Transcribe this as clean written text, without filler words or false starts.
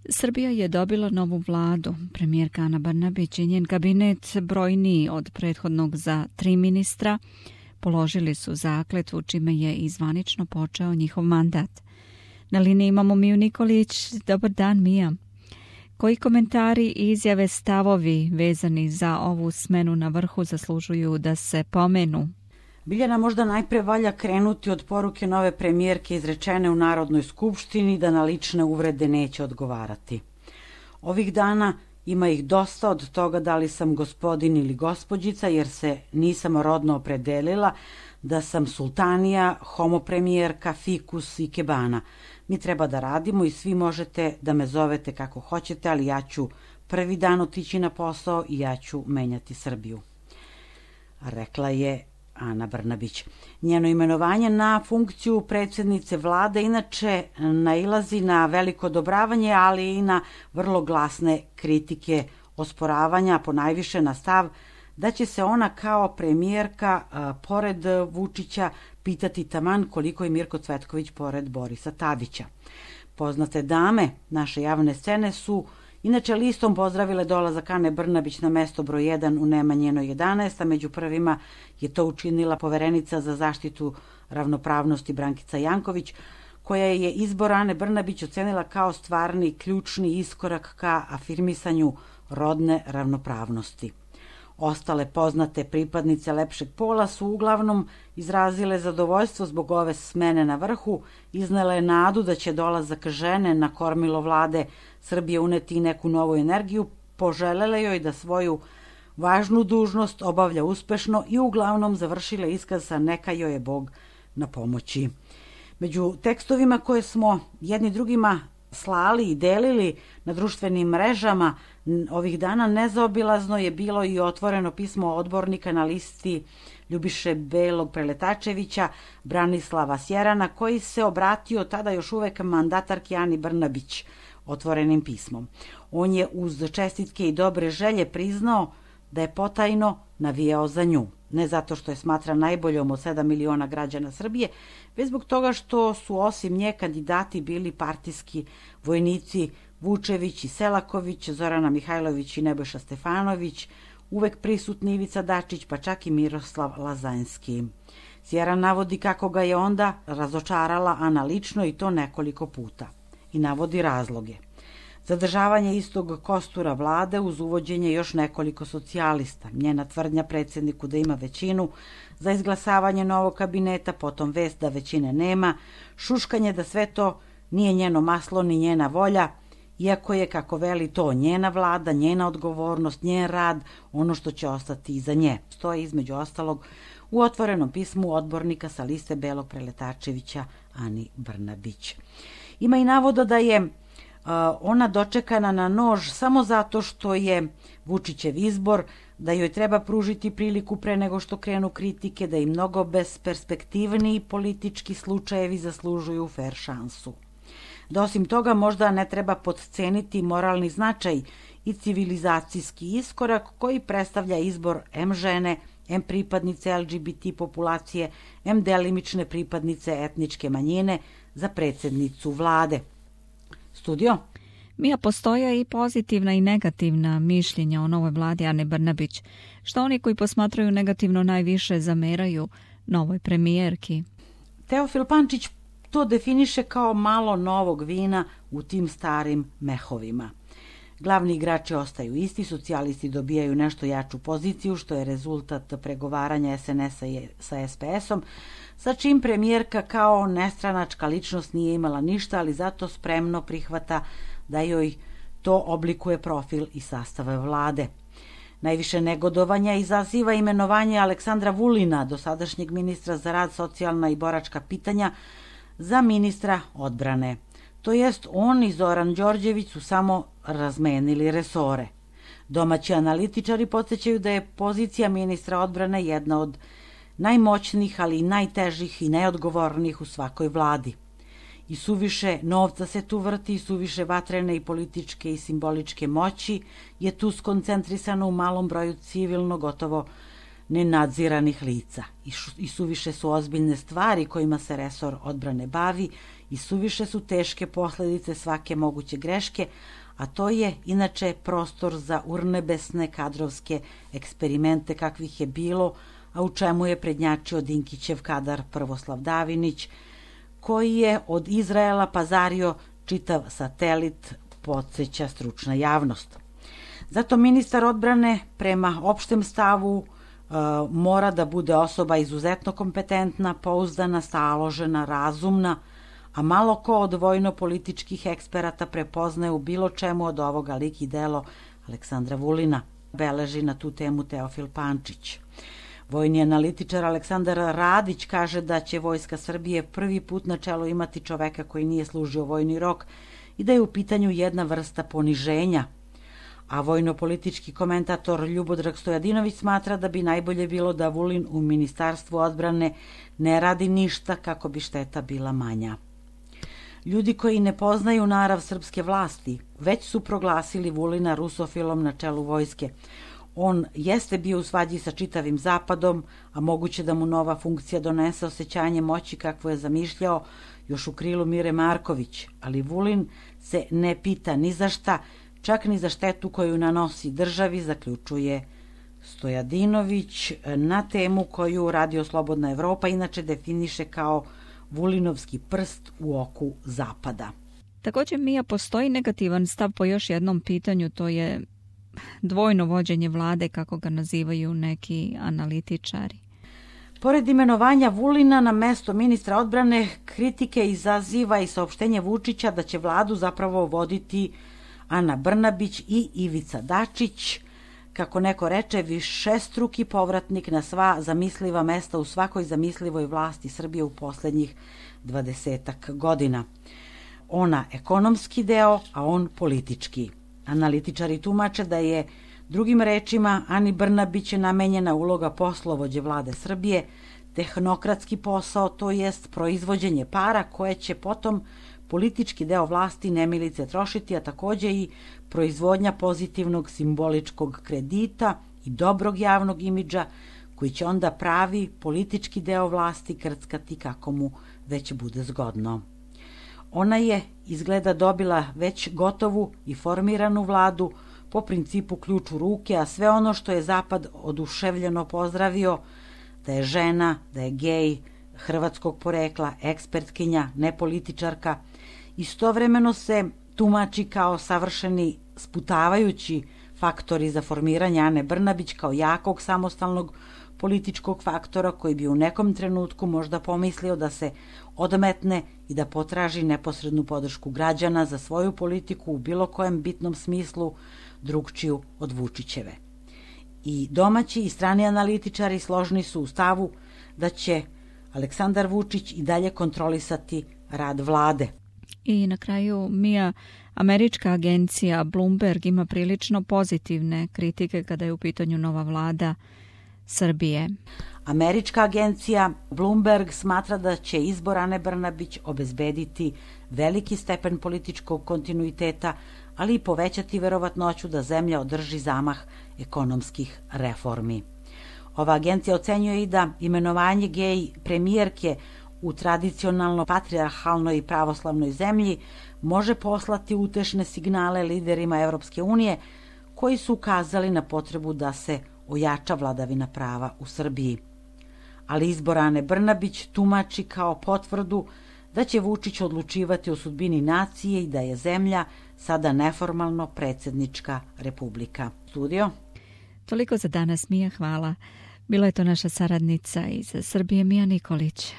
Srbija je dobila novu vladu. Premijerka Ana Brnabić i njen kabinet, brojniji od prethodnog za 3 ministra, položili su zakletvu čime je i zvanično počeo njihov mandat. Na liniji imamo Miju Nikolić. Dobar dan, Mija. Koji komentari, izjave, stavovi vezani za ovu smenu na vrhu zaslužuju da se pomenu? Biljana, možda najpre valja krenuti od poruke nove premijerke izrečene u Narodnoj skupštini da na lične uvrede neće odgovarati. Ovih dana ima ih dosta od toga da li sam gospodin ili gospođica, jer se nisam rodno opredelila, da sam sultanija, homopremijerka, fikus i kebana. Mi treba da radimo i svi možete da me zovete kako hoćete, ali ja ću prvi dan otići na posao i ja ću menjati Srbiju. Rekla je Ana Brnabić. Njeno imenovanje na funkciju predsjednice vlade inače nailazi na veliko odobravanje, ali i na vrlo glasne kritike, osporavanja, ponajviše na stav da će se ona kao premijerka pored Vučića pitati taman koliko je Mirko Cvetković pored Borisa Tadića. Poznate dame naše javne scene su inače listom pozdravile dolazak Ane Brnabić na mesto broj 1 u Nemanjinoj 11, a među prvima je to učinila poverenica za zaštitu ravnopravnosti Brankica Janković, koja je izbor Ane Brnabić ocenila kao stvarni ključni iskorak ka afirmisanju rodne ravnopravnosti. Ostale poznate pripadnice lepšeg pola su uglavnom izrazile zadovoljstvo zbog ove smene na vrhu, iznele nadu da će dolazak žene na kormilo vlade Srbije uneti neku novu energiju, poželele joj da svoju važnu dužnost obavlja uspešno i uglavnom završile iskaz sa neka joj je Bog na pomoći. Među tekstovima koje smo jedni drugima slali i delili na društvenim mrežama ovih dana nezaobilazno je bilo i otvoreno pismo odbornika na listi Ljubiše Belog Preletačevića, Branislava Sjerana, koji se obratio tada još uvek mandatarki Ani Brnabić otvorenim pismom. On je uz čestitke i dobre želje priznao da je potajno navijao za nju. Ne zato što je smatra najboljom od 7 miliona građana Srbije, već zbog toga što su osim nje kandidati bili partijski vojnici Vučević i Selaković, Zorana Mihajlović i Nebojša Stefanović, uvek prisutni Ivica Dačić, pa čak i Miroslav Lazanski. Sjeran navodi kako ga je onda razočarala Ana lično i to nekoliko puta. I navodi razloge. Zadržavanje istog kostura vlade uz uvođenje još nekoliko socijalista, njena tvrdnja predsjedniku da ima većinu za izglasavanje novog kabineta, potom vest da većine nema, šuškanje da sve to nije njeno maslo ni njena volja, iako je, kako veli, to njena vlada, njena odgovornost, njen rad, ono što će ostati iza nje. Stoji između ostalog u otvorenom pismu odbornika sa liste Belog Preletačevića Ani Brnabić. Ima i navoda da je ona dočekana na nož samo zato što je Vučićev izbor, da joj treba pružiti priliku pre nego što krenu kritike, da i mnogo besperspektivniji politički slučajevi zaslužuju fer šansu. Da osim toga možda ne treba podceniti moralni značaj i civilizacijski iskorak koji predstavlja izbor M žene, M pripadnice LGBT populacije, M delimične pripadnice etničke manjine za predsjednicu vlade. Studio? Mija, postoje i pozitivna i negativna mišljenja o novoj vladi Ane Brnabić. Što oni koji posmatraju negativno najviše zameraju novoj premijerki? Teofil Pančić to definiše kao malo novog vina u tim starim mehovima. Glavni igrači ostaju isti, socijalisti dobijaju nešto jaču poziciju, što je rezultat pregovaranja SNS-a sa SPS-om, sa čim premijerka kao nestranačka ličnost nije imala ništa, ali zato spremno prihvata da joj to oblikuje profil i sastave vlade. Najviše negodovanja izaziva imenovanje Aleksandra Vulina, dosadašnjeg ministra za rad, socijalna i boračka pitanja, za ministra odbrane. To jest, on i Zoran Đorđević su samo razmenili resore. Domaći analitičari podsjećaju da je pozicija ministra odbrane jedna od najmoćnijih, ali i najtežih i najodgovornijih u svakoj vladi. I suviše novca se tu vrti, i suviše vatrene i političke i simboličke moći je tu skoncentrisano u malom broju civilno gotovo nenadziranih lica. I suviše su ozbiljne stvari kojima se resor odbrane bavi i suviše su teške posljedice svake moguće greške, a to je inače prostor za urnebesne kadrovske eksperimente kakvih je bilo, a u čemu je prednjačio Dinkićev kadar Prvoslav Davinić, koji je od Izraela pazario čitav satelit, podsjeća stručna javnost. Zato ministar odbrane prema opštem stavu mora da bude osoba izuzetno kompetentna, pouzdana, staložena, razumna, a malo ko od vojno-političkih eksperata prepoznaje u bilo čemu od ovoga lik i delo Aleksandra Vulina, beleži na tu temu Teofil Pančić. Vojni analitičar Aleksandar Radić kaže da će Vojska Srbije prvi put na čelu imati čoveka koji nije služio vojni rok i da je u pitanju jedna vrsta poniženja. A vojno-politički komentator Ljubodrag Stojadinović smatra da bi najbolje bilo da Vulin u Ministarstvu odbrane ne radi ništa kako bi šteta bila manja. Ljudi koji ne poznaju narav srpske vlasti već su proglasili Vulina rusofilom na čelu vojske. On jeste bio u svađi sa čitavim Zapadom, a moguće da mu nova funkcija donese osjećanje moći kakvo je zamišljao još u krilu Mire Marković, ali Vulin se ne pita ni za šta, čak ni za štetu koju nanosi državi, zaključuje Stojadinović na temu koju Radio Slobodna Evropa inače definiše kao Vulinovski prst u oku Zapada. Također, Mija, postoji negativan stav po još jednom pitanju, to je dvojno vođenje vlade, kako ga nazivaju neki analitičari. Pored imenovanja Vulina na mesto ministra odbrane, kritike izaziva i saopštenje Vučića da će vladu zapravo voditi Ana Brnabić i Ivica Dačić, kako neko reče, višestruki povratnik na sva zamisliva mesta u svakoj zamislivoj vlasti Srbije u poslednjih 20 godina. Ona ekonomski deo, a on politički. Analitičari tumače da je, drugim rečima, Ani Brnabić namenjena uloga poslovođe vlade Srbije, tehnokratski posao, to jest proizvođenje para koje će potom politički deo vlasti nemilice trošiti, a takođe i proizvodnja pozitivnog simboličkog kredita i dobrog javnog imidža koji će onda pravi politički deo vlasti krckati kako mu već bude zgodno. Ona je izgleda dobila već gotovu i formiranu vladu po principu ključ u ruke, a sve ono što je Zapad oduševljeno pozdravio, da je žena, da je gej, hrvatskog porekla, ekspertkinja, ne političarka, istovremeno se tumači kao savršeni sputavajući faktori za formiranje Ane Brnabić kao jakog samostalnog političkog faktora koji bi u nekom trenutku možda pomislio da se odmetne i da potraži neposrednu podršku građana za svoju politiku u bilo kojem bitnom smislu drugčiju od Vučićeve. I domaći i strani analitičari složni su u stavu da će Aleksandar Vučić i dalje kontrolisati rad vlade. I na kraju, Mija, američka agencija Bloomberg ima prilično pozitivne kritike kada je u pitanju nova vlada Srbije. Američka agencija Bloomberg smatra da će izbor Ane Brnabić obezbediti veliki stepen političkog kontinuiteta, ali i povećati verovatnoću da zemlja održi zamah ekonomskih reformi. Ova agencija ocenjuje i da imenovanje gej premijerke u tradicionalno patrijarhalnoj i pravoslavnoj zemlji može poslati utešne signale liderima Evropske unije koji su ukazali na potrebu da se ojača vladavina prava u Srbiji. Ali izbor Ane Brnabić tumači kao potvrdu da će Vučić odlučivati o sudbini nacije i da je zemlja sada neformalno predsjednička republika. Studio? Toliko za danas, Mija, hvala. Bila je to naša saradnica iz Srbije, Mija Nikolić.